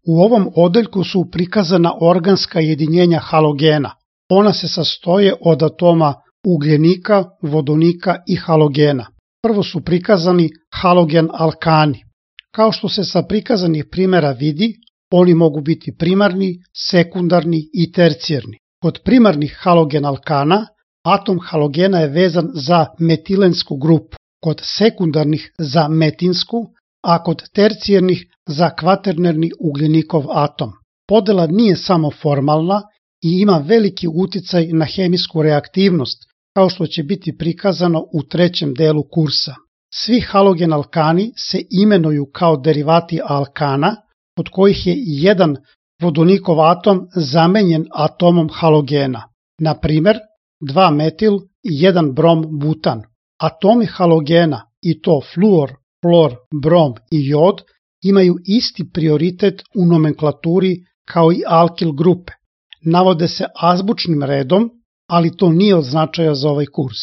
U ovom odeljku su prikazana organska jedinjenja halogena. Ona se sastoje od atoma ugljenika, vodonika i halogena. Prvo su prikazani halogen alkani. Kao što se sa prikazanih primjera vidi, oni mogu biti primarni, sekundarni i tercijarni. Kod primarnih halogen alkana, atom halogena je vezan za metilensku grupu, kod sekundarnih za metinsku, a kod tercijarnih za kvaternerni ugljenikov atom. Podela nije samo formalna i ima veliki uticaj na hemijsku reaktivnost, kao što će biti prikazano u trećem delu kursa. Svi halogen alkani se imenuju kao derivati alkana, od kojih je jedan vodonikov atom zamenjen atomom halogena. Na primer, 2-metil i 1-brom-butan. Atomi halogena, i to fluor, hlor, brom i jod, imaju isti prioritet u nomenklaturi kao i alkil grupe. Navode se azbučnim redom, ali to nije od značaja za ovaj kurs.